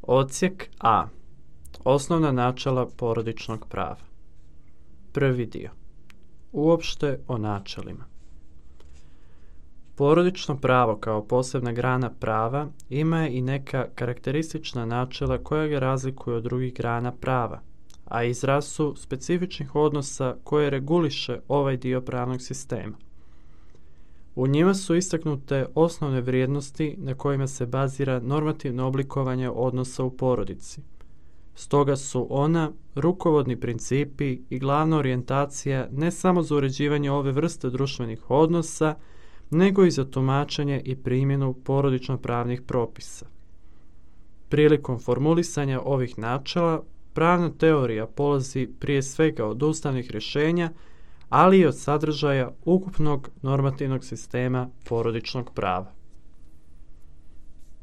Odsjek A. Osnovna načela porodičnog prava. Prvi dio. Uopšte o načelima. Porodično pravo kao posebna grana prava ima i neka karakteristična načela koja ga razlikuju od drugih grana prava, a izraz su specifičnih odnosa koje reguliše ovaj dio pravnog sistema. U njima su istaknute osnovne vrijednosti na kojima se bazira normativno oblikovanje odnosa u porodici. Stoga su ona rukovodni principi i glavna orijentacija ne samo za uređivanje ove vrste društvenih odnosa, nego i za tumačenje i primjenu porodično-pravnih propisa. Prilikom formulisanja ovih načela, pravna teorija polazi prije svega od ustavnih rješenja, ali i od sadržaja ukupnog normativnog sistema porodičnog prava.